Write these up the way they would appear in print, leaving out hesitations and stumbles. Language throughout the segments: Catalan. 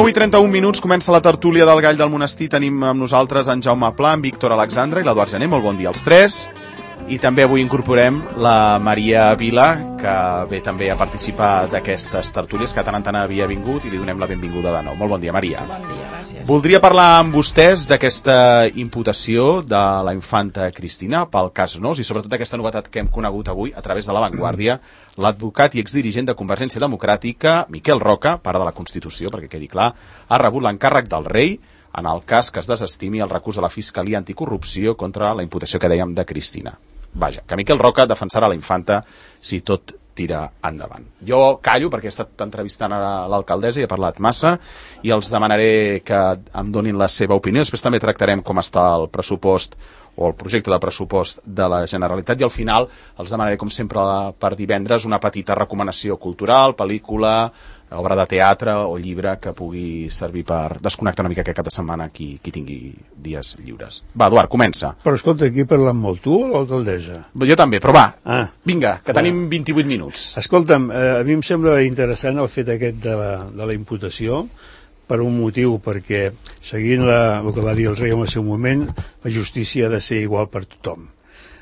I 31 minuts, comença la tertúlia del Gall del Monestir. Tenim amb nosaltres en Jaume Pla, en Víctor Alexandre i l'Eduard Gené. Molt bon dia als tres. I també avui incorporem la Maria Vila, que ve també a participar d'aquestes tertúlies, que tant en tant havia vingut, i li donem la benvinguda de nou. Molt bon dia, Maria. Bon dia, gràcies. Voldria parlar amb vostès d'aquesta imputació de la infanta Cristina pel cas Nos, i sobretot d'aquesta novetat que hem conegut avui a través de La Vanguardia. L'advocat i exdirigent de Convergència Democràtica, Miquel Roca, pare de la Constitució, perquè quedi clar, ha rebut l'encàrrec del rei en el cas que es desestimi el recurs de la Fiscalia Anticorrupció contra la imputació que dèiem de Cristina. Vaja, que Miquel Roca defensarà la infanta si tot tira endavant. Jo callo perquè he estat entrevistant a l'alcaldessa i he parlat massa i els demanaré que em donin la seva opinió. Després també tractarem com està el pressupost o el projecte de pressupost de la Generalitat i al final els demanaré, com sempre, per divendres una petita recomanació cultural, pel·lícula, obra de teatre o llibre que pugui servir per desconnectar una mica aquest cap de setmana qui tingui dies lliures. Va, Eduard, comença. Però escolta, aquí parlant molt tu o l'alcaldessa? Jo també, però va, vinga, que tenim 28 minuts. Escolta'm, a mi em sembla interessant el fet aquest de la imputació per un motiu, perquè seguint el que va dir el rei en el seu moment, la justícia ha de ser igual per tothom.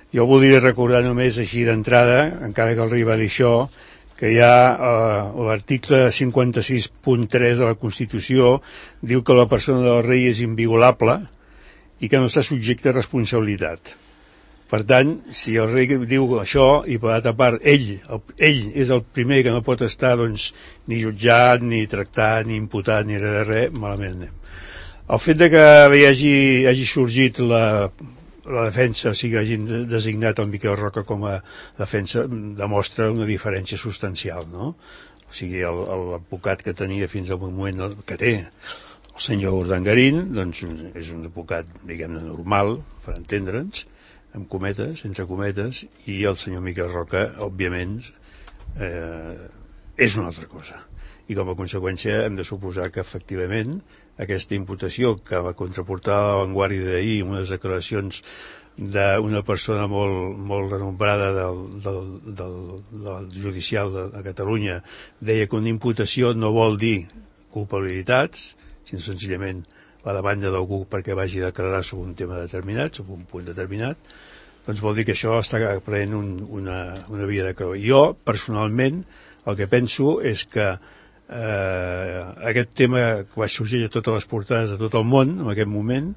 Jo voldria recordar només així d'entrada, encara que el rei va dir això, que hi ha l'article 56.3 de la Constitució diu que la persona del rei és inviolable i que no està subjecte a responsabilitat. Per tant, si el rei diu això i per altra part ell és el primer que no pot estar doncs, ni jutjat, ni tractat, ni imputat, ni res, malament anem. El fet de que hagi sorgit la defensa, o sigui, hagin designat el Miquel Roca com a defensa, demostra una diferència substancial, no? O sigui, l'advocat que tenia fins al moment que té el senyor Urdangarín, doncs és un advocat, diguem-ne, normal, per entendre'ns, amb cometes, entre cometes, i el senyor Miquel Roca, òbviament, és una altra cosa. I com a conseqüència hem de suposar que efectivament aquesta imputació que va contraportar a La Vanguardia d'ahir amb unes declaracions d'una persona molt renombrada del judicial de Catalunya deia que una imputació no vol dir culpabilitats, sinó senzillament la demanda d'algú perquè vagi a declarar sobre un tema determinat, sobre un punt determinat, doncs vol dir que això està prenent una via de creu. Jo, personalment, el que penso és que aquest tema que va sorgir a totes les portades de tot el món en aquest moment,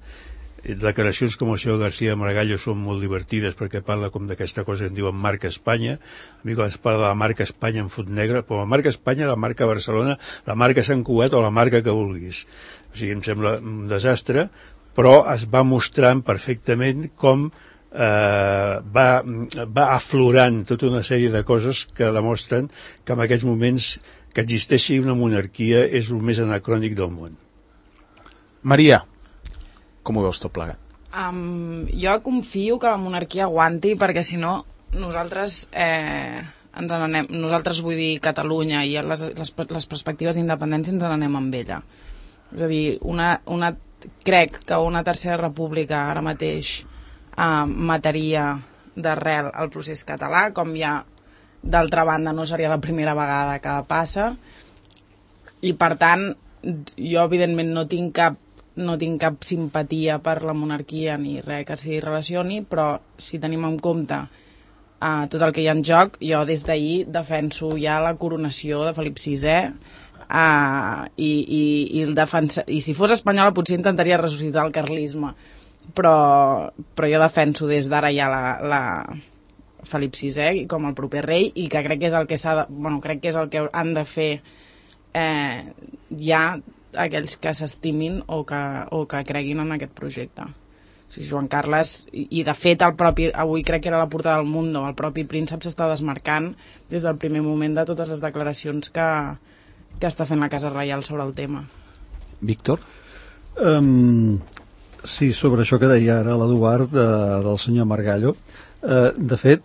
declaracions com el senyor García Margallo són molt divertides perquè parla com d'aquesta cosa que en diuen marca Espanya. A mi quan es parla de la marca Espanya en fot negre, però la marca Espanya, la marca Barcelona, la marca Sant Cugat o la marca que vulguis. O sigui, em sembla un desastre, però es va mostrant perfectament com va aflorant tota una sèrie de coses que demostren que en aquests moments que existeixi una monarquia és el més anacrònic del món. Maria, com ho veus tot plegat? Jo confio que la monarquia aguanti, perquè si no nosaltres ens n'anem, nosaltres vull dir Catalunya i les perspectives d'independència ens n'anem amb ella. És a dir, crec que una tercera república ara mateix mataria d'arrel el procés català, com ja d'altra banda no seria la primera vegada que passa, i per tant jo evidentment no tinc cap simpatia per la monarquia ni res que s'hi relacioni, però si tenim en compte tot el que hi ha en joc, jo des d'ahir defenso ja la coronació de Felip VI i si fos espanyola potser intentaria ressuscitar el carlisme, però jo defenso des d'ara ja la Felip VI com el proper rei, i que crec que és el que crec que és el que han de fer ja aquells que s'estimin o que creguin en aquest projecte. O sigui, Joan Carles, i de fet avui crec que era la portada del Mundo, el propi príncep s'està desmarcant des del primer moment de totes les declaracions que està fent la Casa Reial sobre el tema. Víctor? Sí, sobre això que deia ara l'Eduard del senyor Margallo, de fet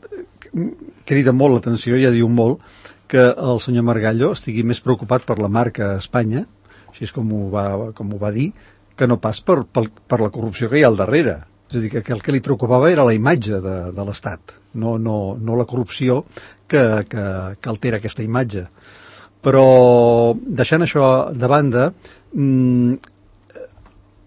crida molt l'atenció, ja diu molt que el senyor Margallo estigui més preocupat per la marca a Espanya, així és com ho va dir, que no pas per la corrupció que hi ha al darrere. És a dir, que el que li preocupava era la imatge de l'Estat, no la corrupció que altera aquesta imatge. Però deixant això de banda,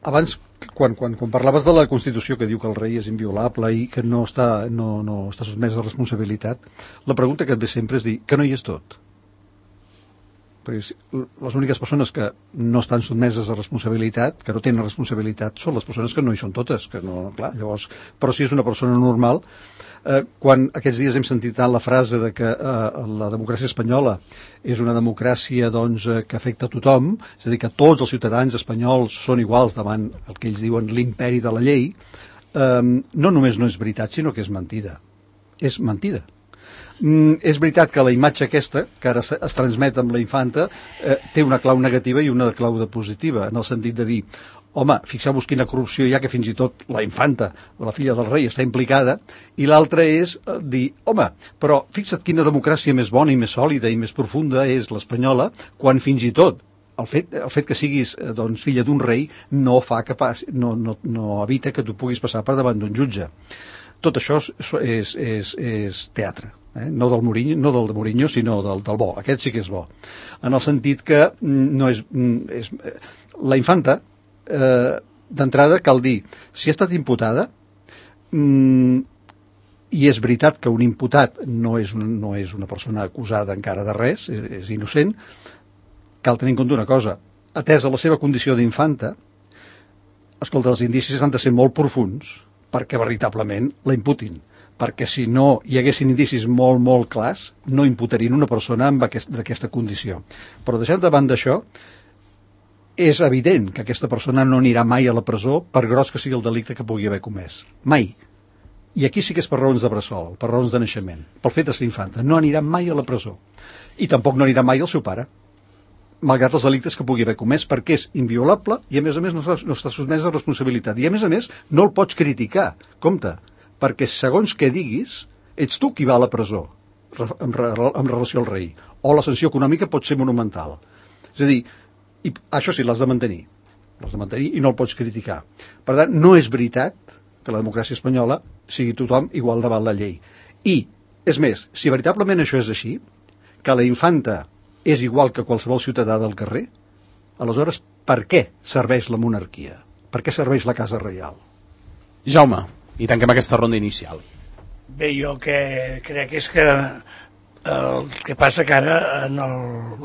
abans quan parlaves de la Constitució que diu que el rei és inviolable i que no està sotmès a responsabilitat, la pregunta que et ve sempre és dir que no hi és tot. Perquè les úniques persones que no estan sotmeses a responsabilitat, que no tenen responsabilitat, són les persones que no hi són totes, que no, clar, llavors, però si és una persona normal, quan aquests dies hem sentit tant la frase de que la democràcia espanyola és una democràcia doncs, que afecta a tothom, és a dir, que tots els ciutadans espanyols són iguals davant el que ells diuen l'imperi de la llei, no només no és veritat, sinó que és mentida. És mentida. És veritat que la imatge aquesta, que ara es transmet amb la infanta, té una clau negativa i una clau de positiva, en el sentit de dir, home, fixeu-vos quina corrupció hi ha, que fins i tot la infanta, la filla del rei, està implicada, i l'altra és dir, home, però fixa't quina democràcia més bona i més sòlida i més profunda és l'espanyola, quan fins i tot el fet que siguis doncs, filla d'un rei no evita que tu puguis passar per davant d'un jutge. Tot això és teatre. No del Mourinho, sinó del bo. Aquest sí que és bo. En el sentit que no és la infanta, d'entrada cal dir, si ha estat imputada, i és veritat que un imputat no és una persona acusada encara de res, és innocent, cal tenir en compte una cosa, atesa la seva condició d'infanta, escolta, els indicis han de ser molt profunds perquè veritablement la imputin, perquè si no hi haguessin indicis molt, molt clars, no imputarien una persona d'aquesta condició. Però deixant de banda això, és evident que aquesta persona no anirà mai a la presó per gros que sigui el delicte que pugui haver comès. Mai. I aquí sí que és per raons de bressol, per raons de naixement, pel fet de ser infanta. No anirà mai a la presó. I tampoc no anirà mai el seu pare, malgrat els delictes que pugui haver comès, perquè és inviolable i a més no està sotmès a responsabilitat. I a més no el pots criticar. Compte, perquè segons què diguis, ets tu qui va a la presó en relació al rei. O la sanció econòmica pot ser monumental. És a dir, i això sí, l'has de mantenir i no el pots criticar. Per tant, no és veritat que la democràcia espanyola sigui tothom igual davant la llei. I, és més, si veritablement això és així, que la infanta és igual que qualsevol ciutadà del carrer, aleshores, per què serveix la monarquia? Per què serveix la Casa Reial? Jaume, i tanquem aquesta ronda inicial. Bé, jo el que crec és que el que passa que ara en el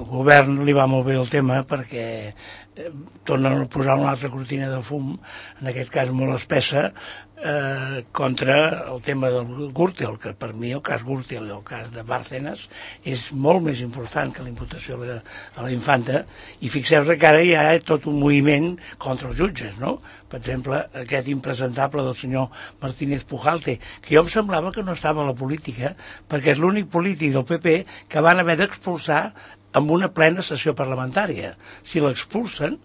govern li va molt bé el tema perquè tornen a posar una altra cortina de fum, en aquest cas molt espessa, contra el tema del Gürtel, que per mi el cas Gürtel i el cas de Bárcenas és molt més important que la imputació a la infanta, i fixeu-vos que ara hi ha tot un moviment contra els jutges, no? Per exemple, aquest impresentable del senyor Martínez Pujalte, que jo em semblava que no estava a la política, perquè és l'únic polític del PP que van haver d'expulsar amb una plena sessió parlamentària. Si l'expulsen,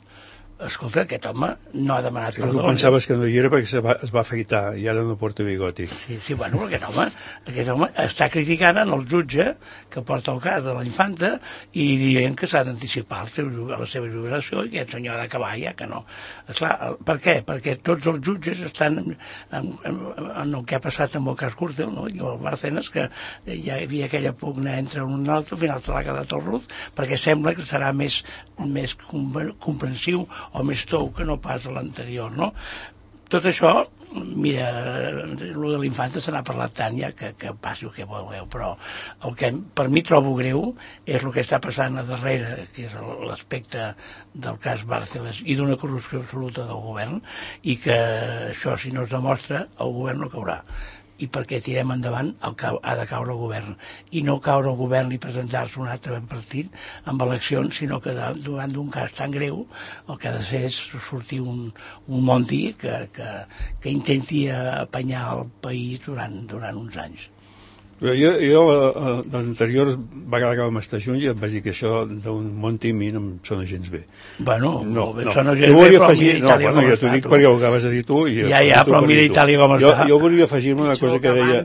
escolta, aquest home no ha demanat perdó. Tu pensaves que no hi era perquè es va afeitar i ara no porta bigoti. Sí, bueno, aquest home està criticant en el jutge que porta el cas de la infanta i dient que s'ha d'anticipar a la seva jubilació i que aquest senyor ha d'acabar ja, que no. Esclar, per què? Perquè tots els jutges estan en el que ha passat amb el cas Gürtel, no? I el Bárcenas, que hi havia aquella pugna entre un i l'altre, al final se l'ha quedat el Ruz, perquè sembla que serà més comprensiu o més tou que no pas l'anterior, no? Tot això, mira, el de l'infanta se n'ha parlat tant ja que passi el que vulgueu, però el que per mi trobo greu és el que està passant a darrere, que és l'aspecte del cas Bárcenas i d'una corrupció absoluta del govern, i que això, si no es demostra, el govern no caurà. i perquè tirem endavant el que ha de caure el govern, i no caure el govern i presentar-se un altre partit amb eleccions, sinó que davant d'un cas tan greu el que ha de fer és sortir un Monti que intenti apanyar el país durant uns anys. Jo l'anterior vegada que vam estar junts ja em vaig dir que això d'un Monti a mi no em sona gens bé. Bueno, no. Sona gens bé, però mira Itàlia com està. Jo t'ho dic perquè ho acabes de dir tu. Ja, però mira Itàlia com està. Jo volia afegir-me una cosa que deia...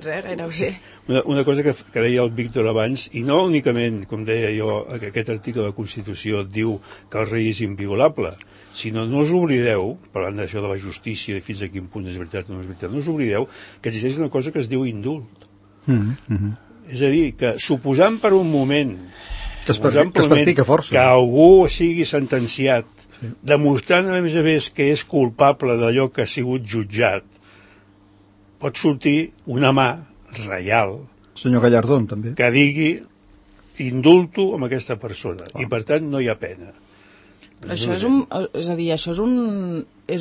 Una cosa que deia el Víctor abans, i no únicament, com deia jo, que aquest article de la Constitució diu que el rei és inviolable, sinó no us oblideu, parlant d'això de la justícia i fins a quin punt és veritat o no és veritat, no us oblideu que existeix una cosa que es diu indult. És a dir, que suposant per un moment que es practica força, que algú sigui sentenciat, demostrant a més que és culpable d'allò que ha sigut jutjat, pot sortir una mà reial, senyor Gallardón també, que digui indulto amb aquesta persona, i per tant no hi ha pena. Això és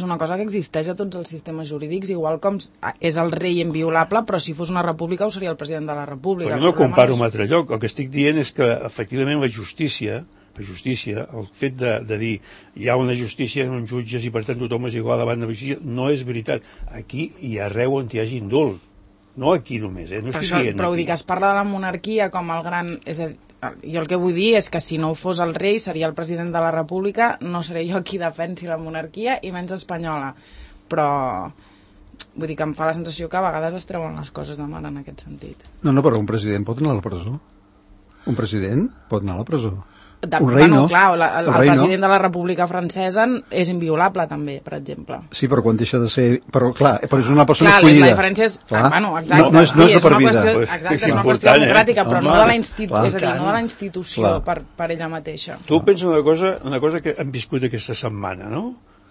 una cosa que existeix a tots els sistemes jurídics, igual com és el rei inviolable, però si fos una república ho seria el president de la república. Però no comparo amb altre lloc. El que estic dient és que efectivament la justícia, el fet de dir hi ha una justícia en uns jutges i per tant tothom és igual davant de la justícia, no és veritat. Aquí i arreu on hi hagi indult. No aquí només, no estic dient però aquí. ho dic, es parla de la monarquia com el gran... Jo el que vull dir és que si no fos el rei seria el president de la república, no seré jo qui defensi la monarquia i menys espanyola, però vull dir que em fa la sensació que a vegades es treuen les coses de mar en aquest sentit. No, però un president pot anar a la presó. Un president pot anar a la presó. Un rei no. Clar, el president de la República Francesa és inviolable també, per exemple. Sí, però quan deixa de ser... Però clar, però és una persona escollida. La diferència és... Bueno, exacte. No és de per vida. Exacte, és una qüestió democràtica, però no de la institució per ella mateixa. Tu pensa una cosa que hem viscut aquesta setmana, no?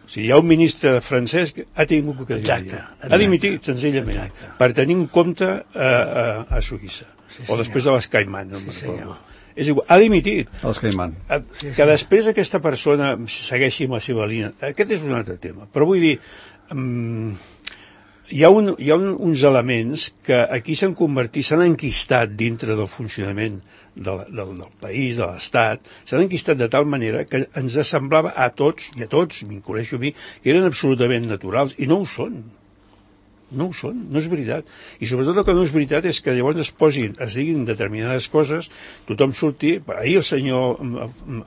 O sigui, hi ha un ministre francès que ha tingut que dir. Ha dimitit, senzillament, per tenir un compte a Suïssa. O després de les Caimán, no me'n recordo. És igual, ha dimitit. Els Caimán. Que després aquesta persona segueixi amb la seva línia. Aquest és un altre tema. Però vull dir, hi ha uns elements que aquí s'han convertit, s'han enquistat dintre del funcionament del país, de l'Estat, s'han enquistat de tal manera que ens semblava a tots, m'incloeixo a mi, que eren absolutament naturals, i no ho són. No ho són, no és veritat. I sobretot el que no és veritat és que llavors es diguin determinades coses, tothom surti... Ahir el senyor,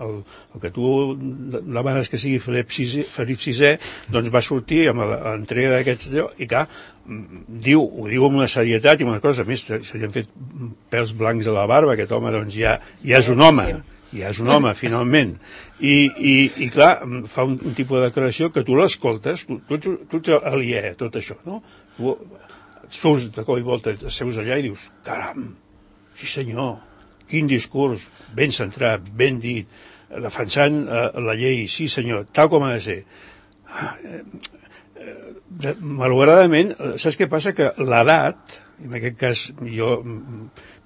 el que tu demanes que sigui Felip VI, doncs va sortir amb l'entrega d'aquests... I clar, ho diu amb una serietat i amb una cosa, a més, se li han fet pèls blancs a la barba, aquest home doncs ja és un home. Ja és un home, finalment. I clar, fa un tipus de declaració que tu l'escoltes, tu ets aliè a tot això, no? Tu surts de cop i volta, seus allà i dius, caram, sí senyor, quin discurs, ben centrat, ben dit, defensant la llei, sí senyor, tal com ha de ser. Malauradament, saps què passa? Que l'edat, en aquest cas jo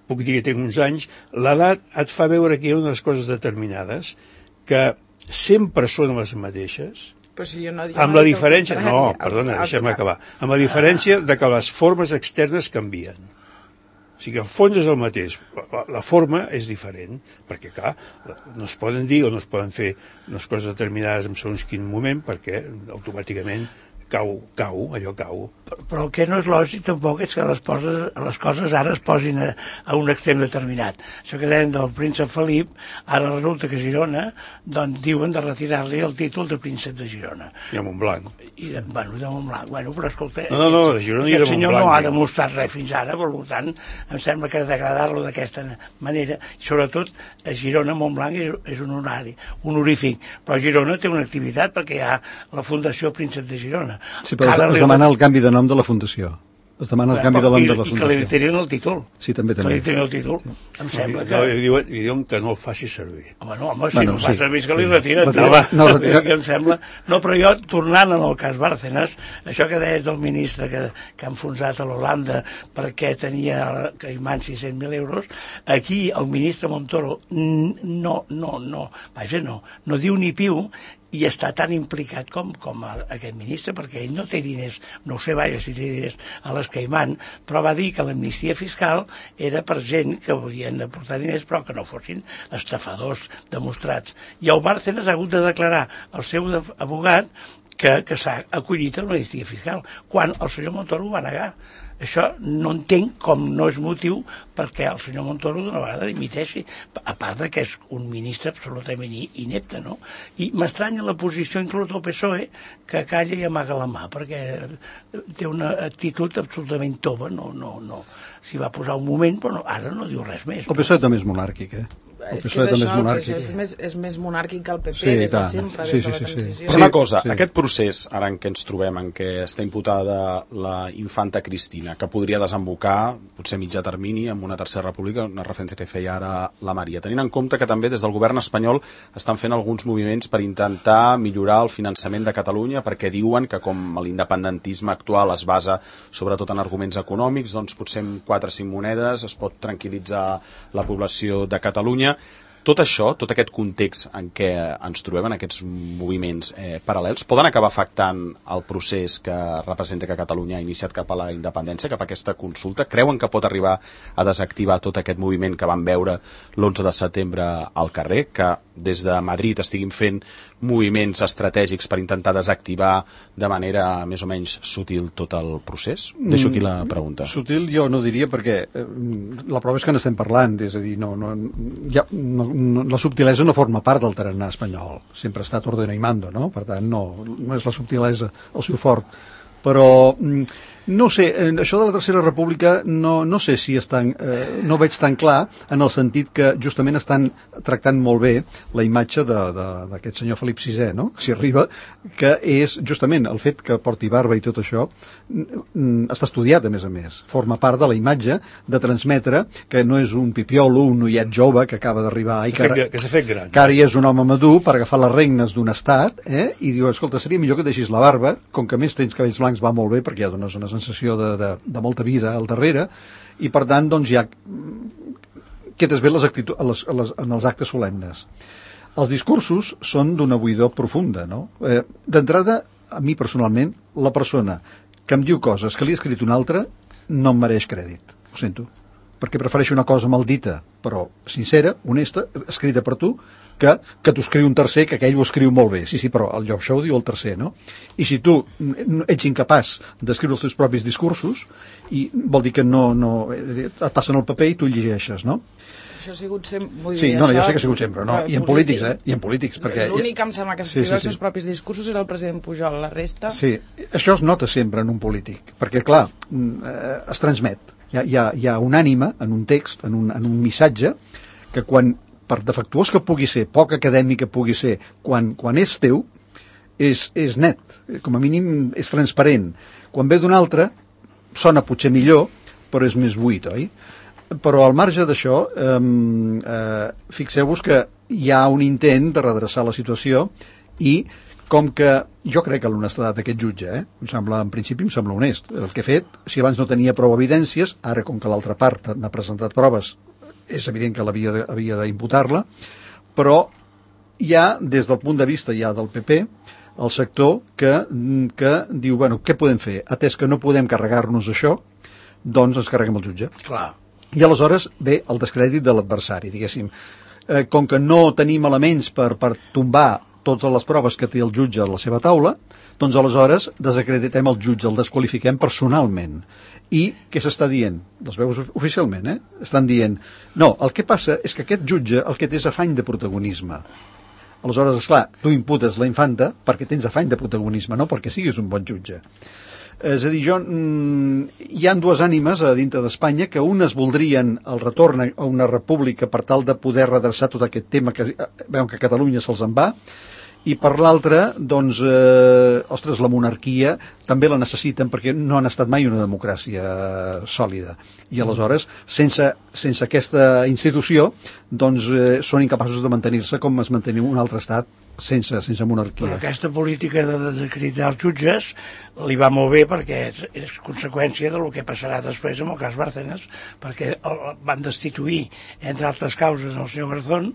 puc dir que tinc uns anys, l'edat et fa veure que hi ha unes coses determinades que sempre són les mateixes, amb la diferència... No, perdona, deixa'm acabar. Amb la diferència de que les formes externes canvien. O sigui que el fons és el mateix, la forma és diferent, perquè clar, no es poden dir o no es poden fer unes coses determinades en segons quin moment, perquè automàticament allò cau. Però el que no és lògic tampoc és que les coses ara es posin a un extrem determinat. Això que deien del príncep Felip, ara resulta que Girona, doncs diuen de retirar-li el títol de príncep de Girona. I a Montblanc. De Montblanc. Bueno, però escolta, no, de Girona i de Montblanc. Aquest senyor no ha demostrat res fins ara, per tant, em sembla que degradar-lo d'aquesta manera, sobretot a Girona, Montblanc és un honorífic, però Girona té una activitat perquè hi ha la Fundació Príncep de Girona. Sí, però es demana el canvi de nom de la Fundació. Es demana el canvi de nom de la Fundació. I que li trien el títol. Sí, també. Que li trien el títol. Em sembla que... I diuen que no el faci servir. Home, si no el fa servir és que li retiren. Em sembla... No, però jo, tornant en el cas Bárcenas, això que deies del ministre que ha enfonsat a l'Holanda perquè tenia a Caimán 600.000 euros, aquí el ministre Montoro no diu ni piu, i està tan implicat com aquest ministre, perquè ell no té diners, no ho sé vaja si té diners a les Caimán, però va dir que l'amnistia fiscal era per gent que volien aportar diners però que no fossin estafadors demostrats. I el Bárcenas ha hagut de declarar al seu abogat que s'ha acollit a l'amnistia fiscal, quan el senyor Montoro ho va negar. Això no entenc com no és motiu perquè el senyor Montoro d'una vegada dimiteixi, a part de que és un ministre absolutament inepte, no? I m'estranya la posició inclús del PSOE, que calla i amaga la mà, perquè té una actitud absolutament tova, no. S'hi va posar un moment, però ara no diu res més. El PSOE també és monàrquic, El PSOE també és monàrquic. És més monàrquic que el PP des de sempre, des de la transició. Però una cosa, aquest procés, ara en què ens trobem, en què està imputada la infanta Cristina, que podria desembocar, potser a mitjà termini, amb una tercera república, una referència que feia ara la Maria, tenint en compte que també des del govern espanyol estan fent alguns moviments per intentar millorar el finançament de Catalunya, perquè diuen que com l'independentisme actual es basa sobretot en arguments econòmics, doncs potser amb 4 o 5 monedes es pot tranquil·litzar la població de Catalunya. Tot això, tot aquest context en què ens trobem, en aquests moviments paral·lels, poden acabar afectant el procés que representa que Catalunya ha iniciat cap a la independència, cap a aquesta consulta? Creuen que pot arribar a desactivar tot aquest moviment que van veure l'11 de setembre al carrer, que des de Madrid estiguin fent moviments estratègics per intentar desactivar de manera més o menys sutil tot el procés? Deixo aquí la pregunta. Sutil jo no diria, perquè la prova és que n'estem parlant, és a dir, la subtilesa no forma part del tarannà espanyol, sempre ha estat ordeno i mando, no? Per tant, no és la subtilesa el seu fort, però no sé, això de la Tercera República no sé si no veig tan clar, en el sentit que justament estan tractant molt bé la imatge d'aquest senyor Felip VI, no? Si arriba, que és justament el fet que porti barba i tot això està estudiat, a més, forma part de la imatge de transmetre que no és un pipiolo, un noiet jove que acaba d'arribar i que s'ha fet gran, que ara ja és un home madur per agafar les regnes d'un estat, i diu, escolta, seria millor que deixis la barba, com que més tens cabells blancs va molt bé, perquè ja dones una sensació de molta vida al darrere, i per tant doncs ja quedes bé en els actes solemnes. Els discursos són d'una buidor profunda, no? D'entrada, a mi personalment, la persona que em diu coses que li ha escrit un altre no em mereix crèdit, ho sento, perquè prefereixo una cosa maldita però sincera, honesta, escrita per tu, que t'ho escriu un tercer, que aquell ho escriu molt bé. Sí, però això ho diu el tercer, no? I si tu ets incapaç d'escriure els teus propis discursos, i vol dir que et passen el paper i tu llegeixes, no? Això ha sigut sempre... Sí, jo sé que ha sigut sempre, no? I en polítics, I en polítics, perquè... L'únic que em sembla que s'escriu els seus propis discursos era el president Pujol, la resta... Sí, això es nota sempre en un polític, perquè, clar, es transmet. Hi ha una ànima en un text, en un missatge, que quan, per defectuós que pugui ser, poc acadèmic que pugui ser, quan és teu, és net, com a mínim és transparent. Quan ve d'un altre, sona potser millor, però és més buit, oi? Però al marge d'això, fixeu-vos que hi ha un intent de redreçar la situació, i com que jo crec que l'honestedat d'aquest jutge, en principi em sembla honest. El que ha fet, si abans no tenia prou evidències, ara com que l'altra part n'ha presentat proves, és evident que havia d'imputar-la, però hi ha, des del punt de vista ja del PP, el sector que diu, bueno, què podem fer? Atès que no podem carregar-nos això, doncs ens carreguem el jutge. Clar. I aleshores ve el descrèdit de l'adversari, diguéssim. Com que no tenim elements per tombar totes les proves que té el jutge a la seva taula, doncs aleshores desacreditem el jutge, el desqualifiquem personalment. I què s'està dient? Les veus oficialment, estan dient, no, el que passa és que aquest jutge el que té és afany de protagonisme. Aleshores, esclar, tu imputes la infanta perquè tens afany de protagonisme, no perquè siguis un bon jutge. És a dir, hi ha dues ànimes a dintre d'Espanya, que unes voldrien el retorn a una república per tal de poder redreçar tot aquest tema que veuen que a Catalunya se'ls en va, i per l'altra, doncs, ostres, la monarquia també la necessiten perquè no han estat mai una democràcia sòlida. I aleshores, sense aquesta institució, doncs són incapaços de mantenir-se com es mantenia un altre estat sense monarquia. Però aquesta política de desacreditar els jutges li va molt bé perquè és conseqüència del que passarà després amb el cas Bárcenas, perquè van destituir, entre altres causes, el senyor Garzón,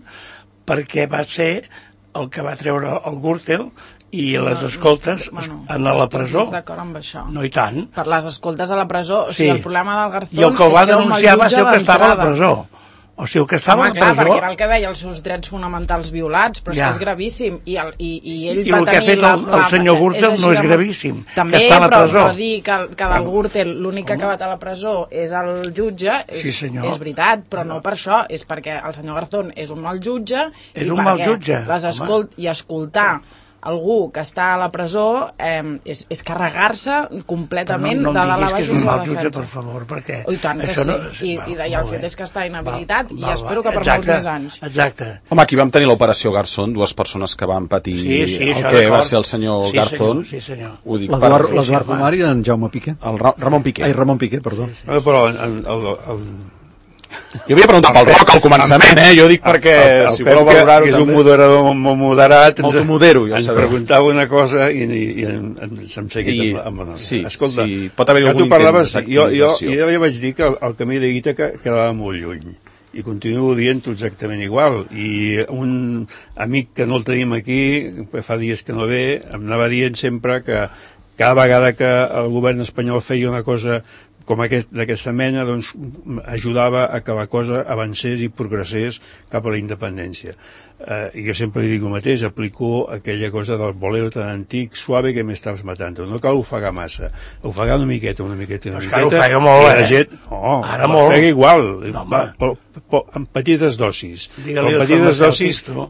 perquè va ser el que va treure el Gürtel i les escoltes a la presó. Estic d'acord amb això. No, i tant. Per les escoltes a la presó, o sigui, el problema del Garzón I el que el va denunciar va ser el que estava a la presó. O sigui, el que estava a la presó... perquè era el que veia els seus drets fonamentals violats, però és que és gravíssim. I ell I el que ha fet el senyor Gürtel no és gravíssim. També, que està a la presó. però dir que del Gürtel l'únic que ha acabat a la presó és el jutge, és veritat, però no per això, és perquè el senyor Garzón és un mal jutge i escoltar algú que està a la presó és carregar-se completament de dalt a baix la seva defensa. Per favor, perquè... I tant que sí, i el fet és que està inhabilitat i espero que per molts més anys. Exacte. Home, aquí vam tenir l'operació Garzón, dues persones que van patir el que va ser el senyor Garzón. Sí, senyor. L'Eduard Pomar i en Jaume Piqué. El Ramon Piqué. Ai, Ramon Piqué, perdó. Però jo havia preguntat pel Roc al començament, jo dic perquè si voleu valorar-ho també. És un moderador molt moderat, ens preguntava una cosa i se'm seguit amb la... Sí, pot haver-hi algun intent d'activació. Jo ja vaig dir que el camí de Ítaca quedava molt lluny i continuo dient-ho exactament igual, i un amic que no el tenim aquí, fa dies que no ve, em anava dient sempre que cada vegada que el govern espanyol feia una cosa com d'aquesta mena, doncs ajudava a que la cosa avancés i progressés cap a la independència. I jo sempre li dic el mateix, aplico aquella cosa del bolero tan antic, suave que m'estaves matant. No cal ofegar massa, ofegar una miqueta. Però que ofega molt, ara molt. Ofega igual, amb petites dosis.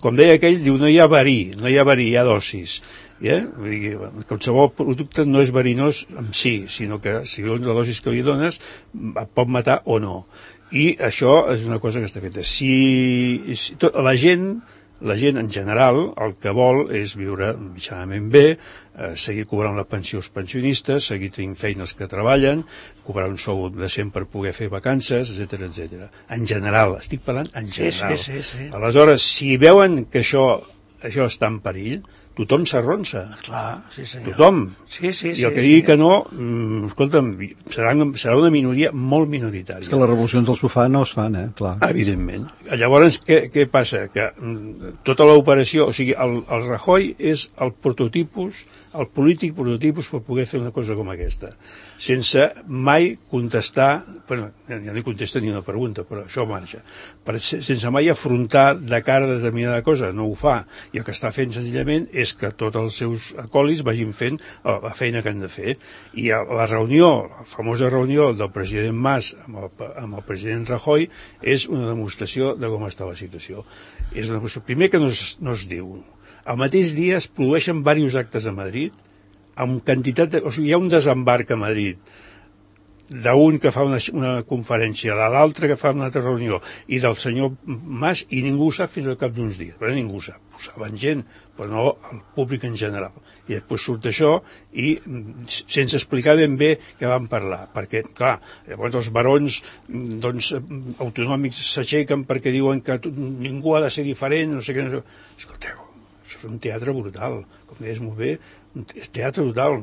Com deia aquell, diu, no hi ha verí, hi ha dosis. Qualsevol producte no és verinós en si, sinó que si la dosis que li dones pot matar o no. I això és una cosa que està feta. La gent en general el que vol és viure mitjanament bé, seguir cobrant la pensió als pensionistes, seguir tenint feines que treballen, cobrar un sou decent per poder fer vacances, etc. En general, estic parlant en general. Sí. Aleshores, si veuen que això està en perill, tothom s'arronsa. Clar, sí senyor. Tothom. Sí. I el que digui que no, escolta'm, serà una minoria molt minoritària. És que les revolucions del sofà no es fan, clar. Evidentment. Llavors, què passa? Que tota l'operació, o sigui, el Rajoy és el prototipus, el polític prototipus per poder fer una cosa com aquesta, sense mai contestar, bueno, ja no hi contesta ni una pregunta, però això marxa, sense mai afrontar de cara a determinada cosa, no ho fa, i el que està fent senzillament és que tots els seus acòlits vagin fent la feina que han de fer, i la reunió, la famosa reunió del president Mas amb el president Rajoy és una demostració de com està la situació. És una demostració, primer que no es diu. Al mateix dia es produeixen diversos actes a Madrid, amb quantitat o sigui, hi ha un desembarc a Madrid d'un que fa una conferència, de l'altre que fa una altra reunió, i del senyor Mas, i ningú ho sap fins al cap d'uns dies, però ningú ho sap. Ho saben gent, però no el públic en general. I després surt això i sense explicar ben bé què van parlar, perquè, clar, llavors els barons autonòmics s'aixequen perquè diuen que ningú ha de ser diferent, no sé què. Escolteu, això és un teatre brutal, com deies molt bé, és teatre brutal,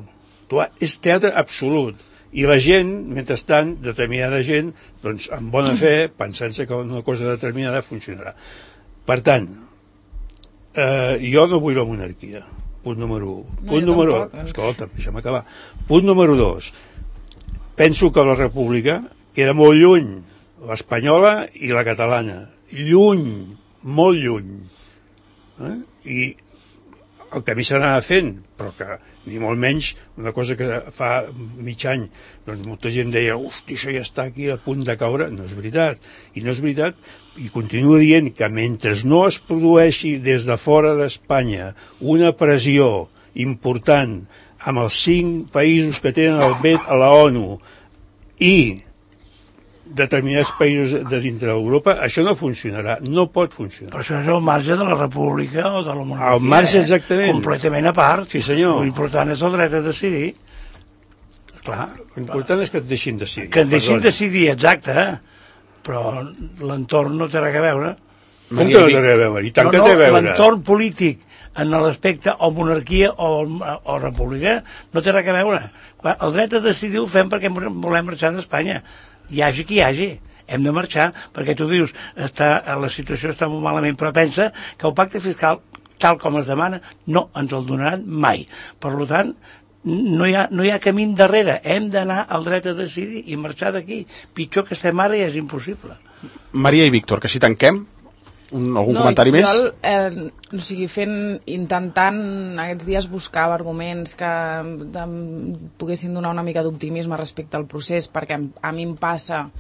és teatre absolut. I la gent, mentrestant, determinada gent, doncs, amb bona fe, pensant-se que una cosa determinada funcionarà. Per tant, jo no vull la monarquia, punt número 1. Escolta, deixa'm acabar. Punt número 2. Penso que la república queda molt lluny, l'espanyola i la catalana. Lluny, molt lluny. I el camí s'anà fent, però que ni molt menys una cosa que fa mig any doncs molta gent deia, hosti, això ja està aquí a punt de caure. No és veritat, i no és veritat, i continuo dient que mentre no es produeixi des de fora d'Espanya una pressió important amb els 5 països que tenen el vet a la ONU i determinats països de dintre d'Europa, això no funcionarà, no pot funcionar. Però això és el marge de la república o de la monarquia. El marge, exactament. Completament a part. Sí, senyor. L'important és el dret a decidir. Clar. L'important és que et deixin decidir. Que et deixin decidir, exacte, però l'entorn no té res a veure. Com que no té res a veure? I tant que té a veure. L'entorn polític en l'aspecte o monarquia o república no té res a veure. El dret a decidir ho fem perquè volem marxar d'Espanya. Hi hagi qui hi hagi, hem de marxar, perquè tu dius, la situació està molt malament, però pensa que el pacte fiscal tal com es demana, no ens el donaran mai. Per tant, no hi ha camí darrere, hem d'anar al dret a decidir i marxar d'aquí. Pitjor que estem ara ja és impossible. Maria i Víctor, que així tanquem. Algun comentari més? Intentant aquests dies buscar arguments que poguessin donar una mica d'optimisme respecte al procés, perquè a mi em passa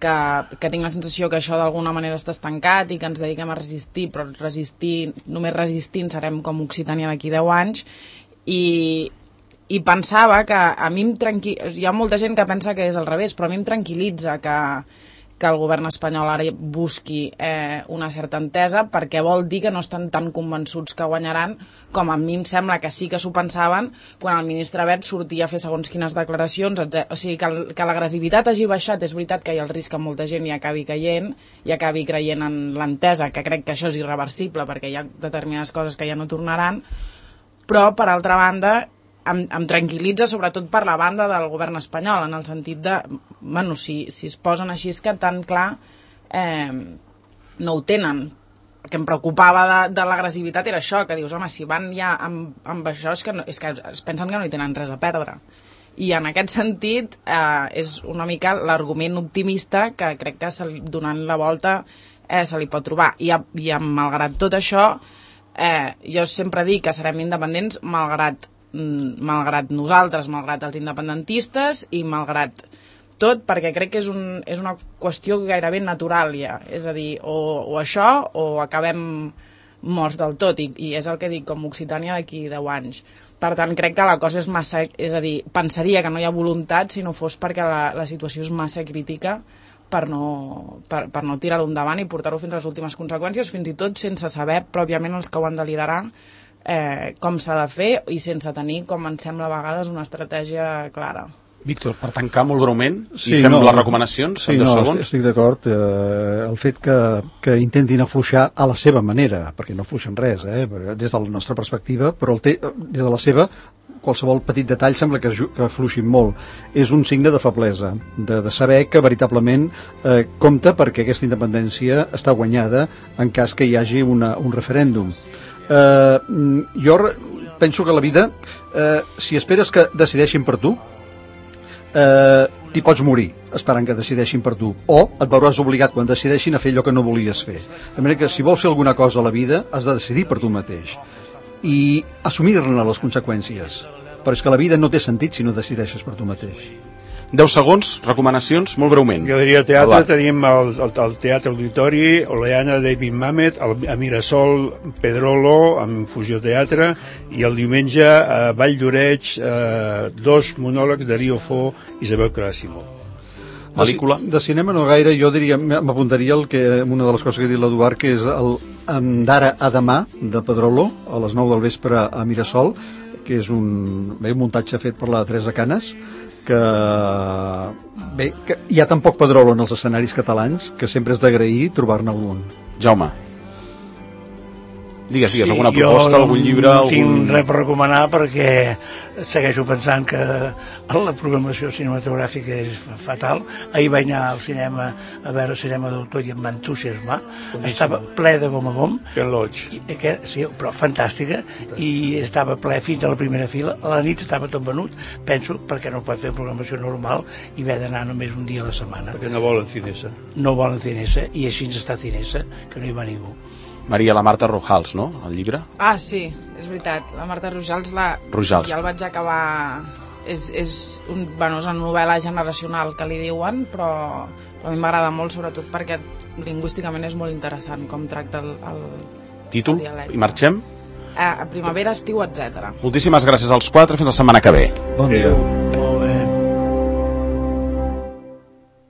que tinc la sensació que això d'alguna manera està estancat i que ens dediquem a resistir, però només resistint serem com Occitània d'aquí 10 anys, i pensava que a mi hi ha molta gent que pensa que és al revés, però a mi em tranquil·litza que el govern espanyol ara busqui una certa entesa, perquè vol dir que no estan tan convençuts que guanyaran, com a mi em sembla que sí que s'ho pensaven quan el ministre Wert sortia a fer segons quines declaracions, o sigui que l'agressivitat hagi baixat. És veritat que hi ha el risc que molta gent hi acabi caient i acabi creient en l'entesa, que crec que això és irreversible perquè hi ha determinades coses que ja no tornaran, però per altra banda em tranquil·litza sobretot per la banda del govern espanyol, en el sentit de, bueno, si es posen així és que tan clar no ho tenen. El que em preocupava de l'agressivitat era això, que dius, home, si van ja amb això és que es pensen que no hi tenen res a perdre. I en aquest sentit és una mica l'argument optimista que crec que donant la volta se li pot trobar. I malgrat tot això, jo sempre dic que serem independents malgrat nosaltres, malgrat els independentistes i malgrat tot, perquè crec que és una qüestió gairebé natural ja, és a dir, o això o acabem morts del tot, i és el que dic com Occitània d'aquí 10 anys. Per tant, crec que la cosa és massa, és a dir, pensaria que no hi ha voluntat si no fos perquè la situació és massa crítica per no tirar-ho endavant i portar-ho fins a les últimes conseqüències, fins i tot sense saber pròpiament els que ho han de liderar com s'ha de fer i sense tenir, com em sembla a vegades, una estratègia clara. Víctor, per tancar molt breument i fem les recomanacions en 2 segons. Estic d'acord. El fet que intentin afluixar a la seva manera, perquè no afluixen res, des de la nostra perspectiva, però des de la seva, qualsevol petit detall sembla que afluixin molt. És un signe de feblesa, de saber que veritablement compta perquè aquesta independència està guanyada en cas que hi hagi un referèndum. Jo penso que la vida, si esperes que decideixin per tu, t'hi pots morir esperant que decideixin per tu, o et veuràs obligat quan decideixin a fer allò que no volies fer. De manera que si vols fer alguna cosa a la vida has de decidir per tu mateix i assumir-ne les conseqüències, però és que la vida no té sentit si no decideixes per tu mateix. 10 segons, recomanacions, molt breument. Jo diria teatre, tenim el Teatre Auditori, Oleana, David Mamet, a Mirasol, Pedrolo, amb Fusió Teatre, i el diumenge a Vall d'Oreig, 2 monòlegs de Rio Fo i Isabel Caràsimo. Pel·lícula? De cinema no gaire, jo diria, m'apuntaria una de les coses que ha dit l'Eduard, que és el d'ara a demà, de Pedrolo, a les 9 del vespre a Mirasol, que és un muntatge fet per la Teresa Canes, que hi ha tan poc Pedrolo en els escenaris catalans que sempre és d'agrair trobar-ne algun. Jaume, digues, alguna proposta, algun llibre? No tinc res per recomanar perquè segueixo pensant que la programació cinematogràfica és fatal. Ahir vaig anar al cinema a veure cinema d'autor i em va entusiasmar. Estava ple de gom a gom. Sí, però fantàstica, i estava ple fins a la primera fila. A la nit estava tot venut, penso, perquè no pot fer programació normal i haver d'anar només un dia a la setmana. Perquè no volen Cinesa. No volen Cinesa, i així ens està Cinesa, que no hi va ningú. Maria, la Marta Rojals, no?, el llibre? Ah, sí, és veritat. La Marta Rojals, ja el vaig acabar. És una novel·la generacional, que li diuen, però a mi m'agrada molt, sobretot perquè lingüísticament és molt interessant com tracta el títol, dialecte. I marxem? A primavera, estiu, etc. Moltíssimes gràcies als 4, fins la setmana que ve. Bon dia.